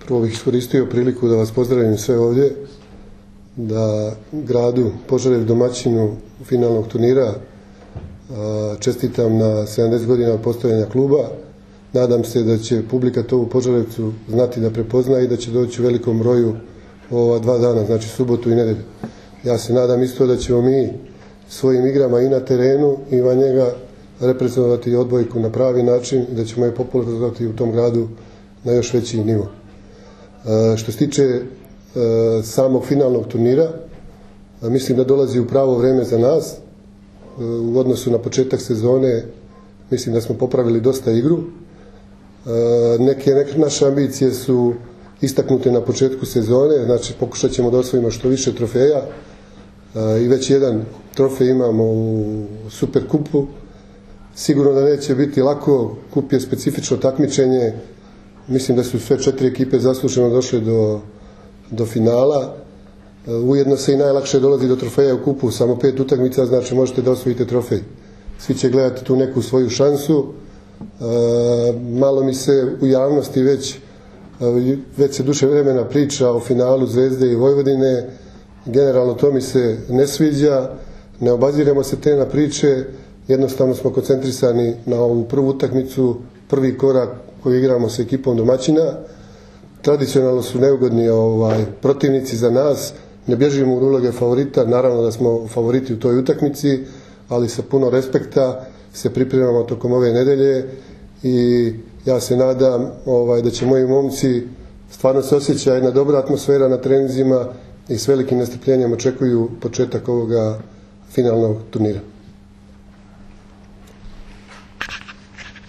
Prvo bih iskoristio priliku da vas pozdravim sve ovdje, da gradu Požarevac, domaćinu finalnog turnira, čestitam na 70 godina od postojanja kluba. Nadam se da će publika to u Požarevcu znati da prepozna i da će doći u velikom broju ova 2 dana, znači subotu i nedelju. Ja se nadam isto da ćemo mi svojim igrama i na terenu i van njega reprezentovati odbojku na pravi način i da ćemo je popularizovati u tom gradu na još veći nivo. Što se tiče samog finalnog turnira, mislim da dolazi u pravo vreme za nas. U odnosu na početak sezone mislim da smo popravili dosta igru. Neke naše ambicije su istaknute na početku sezone, znači pokušat ćemo da osvojimo što više trofeja i već jedan trofej imamo u Superkupu. Sigurno da neće biti lako, kup je specifično takmičenje, mislim da su sve 4 ekipe zasluženo došle do finala. Ujedno se i najlakše dolazi do trofeja u kupu, samo 5 utakmica, znači možete da osvojite trofej. Svi će gledati tu neku svoju šansu. Malo mi se u javnosti već se duže vremena priča o finalu Zvezde i Vojvodine. Generalno to mi se ne sviđa, ne obaziremo se te na priče, jednostavno smo koncentrisani na ovu prvu utakmicu, prvi korak koji igramo sa ekipom domaćina. Tradicionalno su neugodni protivnici za nas, ne bježimo u uloge favorita, naravno da smo favoriti u toj utakmici, ali sa puno respekta se pripremamo tokom ove nedelje i ja se nadam da će moji momci, stvarno se osjeća jedna dobra atmosfera na treninzima i s velikim nestrpljenjem očekuju početak ovoga finalnog turnira.